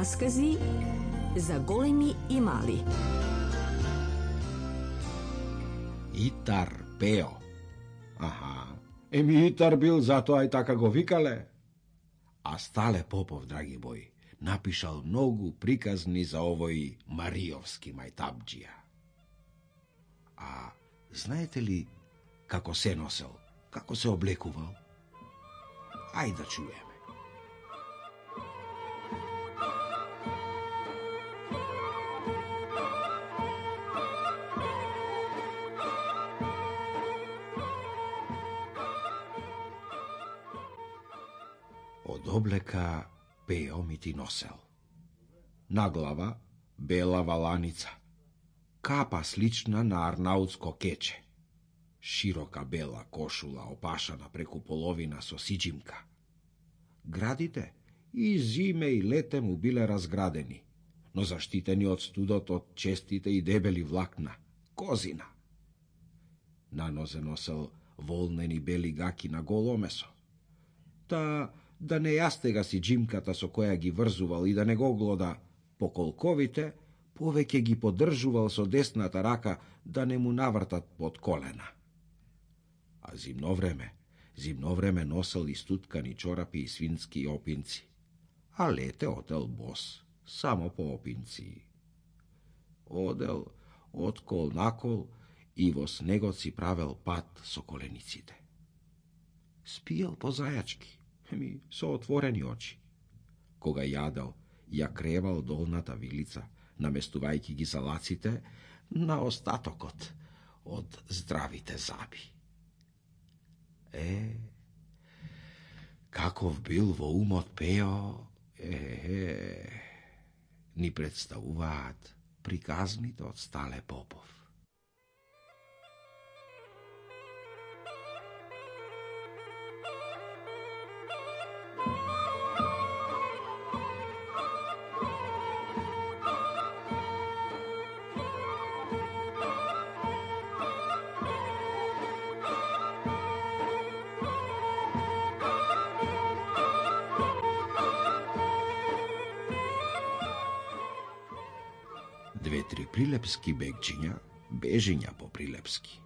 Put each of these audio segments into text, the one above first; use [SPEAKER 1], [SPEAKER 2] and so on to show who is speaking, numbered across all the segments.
[SPEAKER 1] Раскази за големи и мали.
[SPEAKER 2] Итар Пео. Аха, Итар бил, затоа и така го викале. А Стале Попов, драги бои, напишал многу приказни за овој Мариовски мајтабџија. А знаете ли како се носел, како се облекувал? Ајде да чуеме. Од облека Пео ми ти носел. На глава бела валаница, капа слична на арнаутско кече, широка бела кошула опашана преку половина со сиџимка. Градите и зиме и лете му биле разградени, но заштитени од студот од честите и дебели влакна, козина. На нозе носел волнени бели гаки на голо месо. Да не јастега си џимката со која ги врзувал и да не го глода по колковите, повеќе ги поддржувал со десната рака да не му навртат под колена. А зимно време носел и стуткани чорапи и свински опинци, а лете одел бос, само по опинци. Одел од кол на кол и во снегот си правел пат со колениците. Спиел по зајачки, со отворени очи. Кога јадел, ја кревал долната вилица, наместувајќи ги залаците на остатокот од здравите заби. Каков бил во умот Пео, ни представуваат приказните од Стале Попов. Две-три прилепски бегчиња, бежиња по прилепски,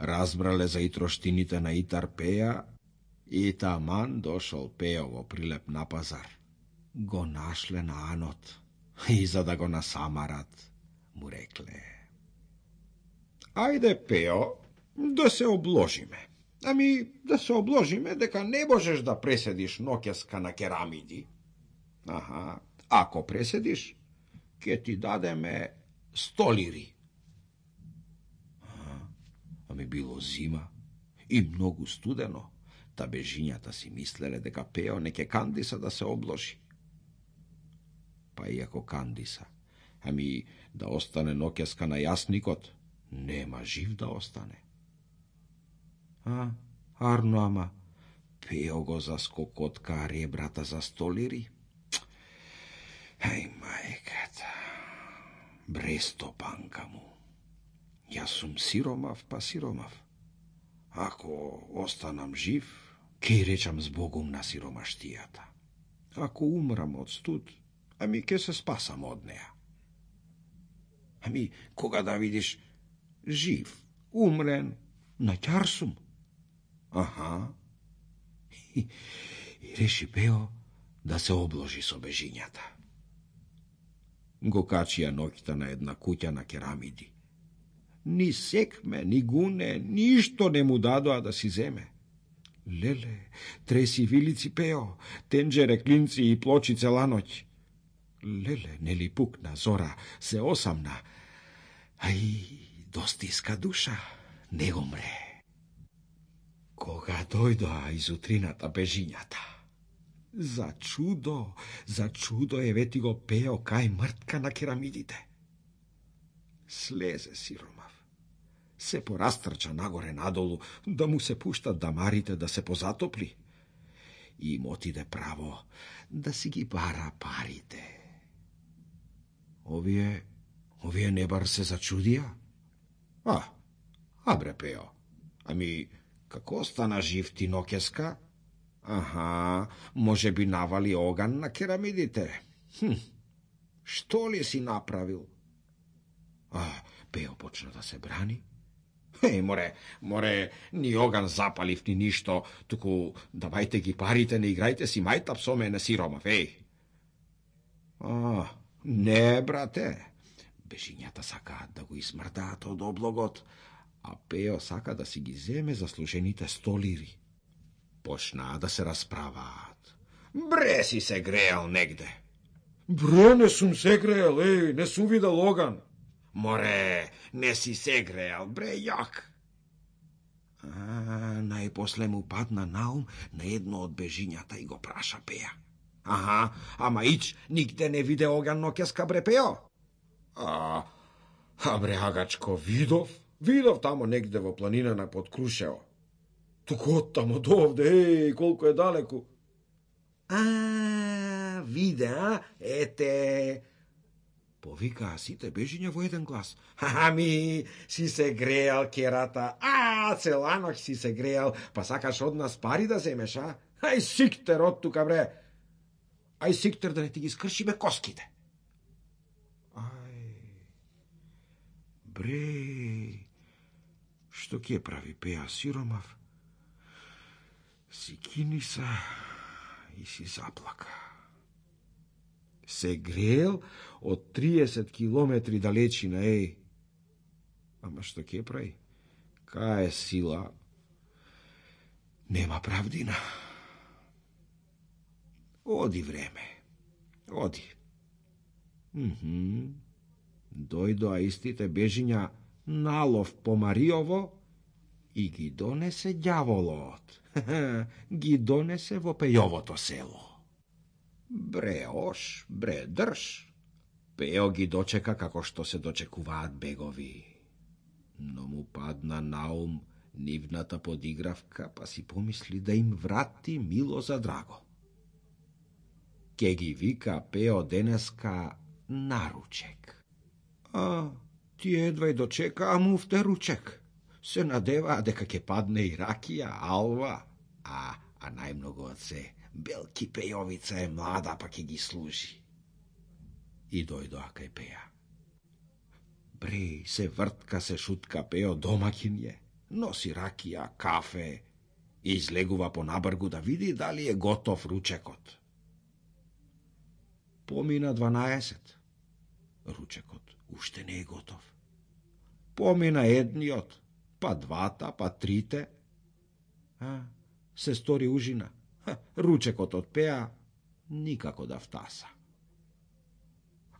[SPEAKER 2] разбрале за итроштините на Итар Пеа и таман дошол Пео во Прилеп на пазар. Го нашле на анот и за да го насамарат, му рекле: ајде, Пео, да се обложиме. Да се обложиме дека не можеш да преседиш ноќеска на керамиди. Ако преседиш, ке ти дадеме 100 лири. Било зима и многу студено, та бежињата си мислеле дека Пео не ке кандиса да се обложи. Па иако кандиса, да остане ноќеска на јасникот, нема жив да остане. Арно, Пео го заскокотка ребрата за 100 лири. Мајката, брестопанка му. Јас сум сиромав, па сиромав. Ако останам жив, ке речам збогум на сиромаштијата. Ако умрам од студ, ке се спасам од неа. Кога да видиш жив, умрен, на ќар сум. И реши Пео да се обложи со бежињата. Го качија ноќта на една куќа на керамиди. Ни секме, ни гуне, ништо не му дадоа да си земе. Леле, треси вилици Пео, тенџере клинци и плочи цела ноќ. Леле, нели пукна зора, се осамна, достиска душа, не умре. Кога дојдоа из утрината бежињата, за чудо евети го Пео кај мртка на керамидите. Слезе сиромав, се порастрча нагоре надолу, да му се пуштат дамарите да се позатопли. И им отиде право да си ги бара парите. Овие не бар се зачудија. Бре Пео, како стана жив ти ноќеска? Може би навали оган на керамидите. Што ли си направил? Пео почна да се брани. Море, ни оган запалив, ни ништо, туку давајте ги парите, не играјте си мајтап со мене, сиромав, Не, брате. Бежињата сакаат да го измрдаат од облогот, а Пео сака да си ги земе заслужените 100 лири. Почнаа да се расправаат. Бре, си се греел негде. Бре, не сум се греел, не сум видел оган. Море, не си се греел, бре, јак. Најпосле му падна наум на едно од бежињата и го праша Пеа. Ама ич, нигде не виде оган ноќеска, бре, Пео. Бре, агачко, видов тамо негде во планина под Крушево. Туку од тамо до овде, колку е далеку. Виде, ете. Повикаа сите бежиња во еден глас. Си се греал, керата. Целаноќ си се греал, па сакаш од нас пари да земеш, Ај сиктер од тука, бре. Ај сиктер да не ти ги скршиме коските. Бре, што ќе прави Пеа, сиромав? Си кини се и си заплака. Се грел од 30 километри далечина, Ама што ќе прави? Кај е сила? Нема правдина. Оди време. Оди. Дојдоа истите бежиња налов по Мариово и ги донесе ѓаволот. Ги донесе во Пејовото село. Бре, ош, бре, држ. Пео ги дочека како што се дочекуваат бегови. Но му падна наум нивната подигравка, па си помисли да им врати мило за драго. Ке ги вика Пео денеска на ручек. Ти едва и дочека, муфте ручек. Се надеваа дека ќе падне и ракија, алва, а најмногу од се, белки Пејовица е млада, па ќе ги служи. И дојдоа кај Пеа. Бре, се вртка, се шутка Пео, домаќин е, носи ракија, кафе, и излегува по набргу да види дали е готов ручекот. Помина 12. Ручекот уште не е готов. Помина едниот, па двата, па трите. Се стори ужина. Ручекот од Пеа никако да втаса.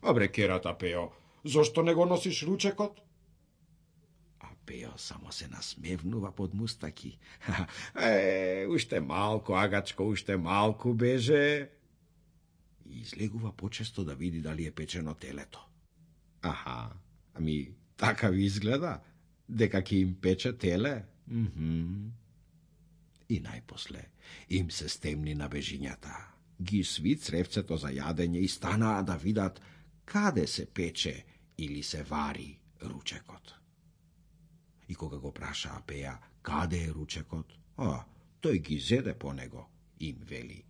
[SPEAKER 2] Бре, керата Пео, зошто не го носиш ручекот? Пео само се насмевнува под мустаки. Уште малку, агачко, уште малку беже. И излегува почесто да види дали е печено телето. Така ви изгледа, дека ќе им пече теле. И најпосле им се стемни на бежињата. Ги сви цревцето за јадење и станаа да видат каде се пече или се вари ручекот. И кога го прашаа Пеа каде е ручекот, тој ги зеде по него, им вели: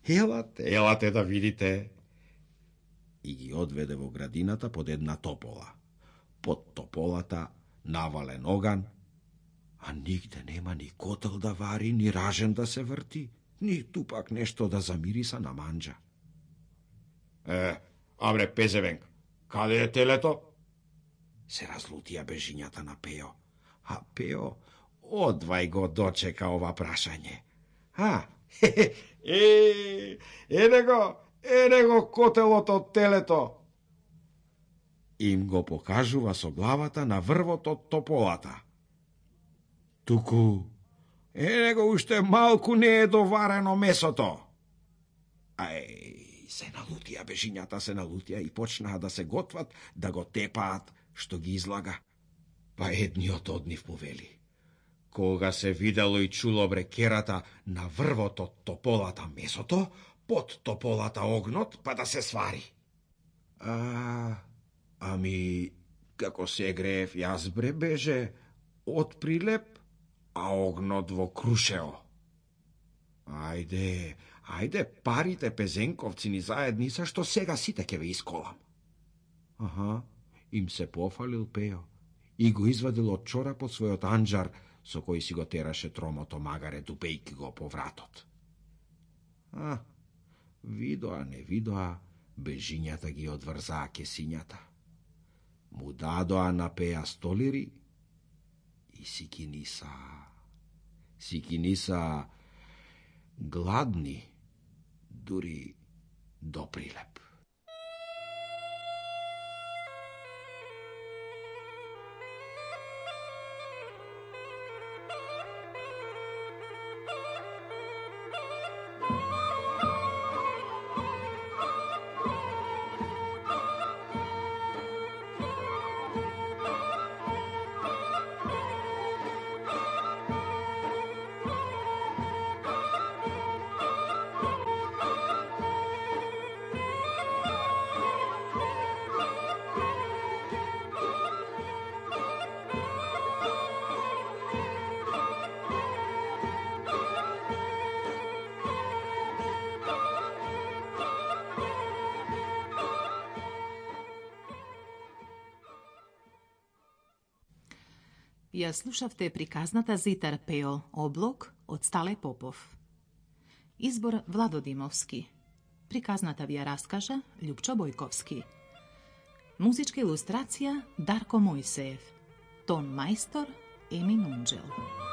[SPEAKER 2] Елате да видите. И ги одведе во градината под една топола. Под тополата навален оган, а нигде нема ни котел да вари, ни ражен да се врти, ни тупак нешто да замириса на манџа. Абре, Пезевенк, каде е телето? Се разлутија бежињата на Пео. А Пео одвај го дочека ова прашање. Ене го котелот од телето. Им го покажува со главата на врвот од тополата. Туку, ене го уште малку не е доварено месото. Се налутија бежињата, се налутија и почнаа да се готват, да го тепаат, што ги излага. Па едниот од нив му вели: кога се видело и чуло брекерата на врвот од тополата месото, под тополата огнот, па да се свари. Како се греев јас, бре, беже од Прилеп, а огнот во Крушево. Ајде, парите пезенковци ни заедница, што сега сите ќе ве исколам. Аха, им се пофалил Пео и го извадил од чорапот својот анџар, со кој си го тераше тромото магаре, дупејки го по вратот. Видоа, не видоа, бежињата ги одврзаа кесињата. Му дадоа на Пеа столири и сикиниса гладни, дури до прилеп.
[SPEAKER 3] Ја слушавте приказната за Итар Пео, облог од Стале Попов. Избор Владо Димовски. Приказната ви ја раскажа Љупчо Бојковски. Музичка илустрација Дарко Мојсеев. Тон мајстор Емин Унџел.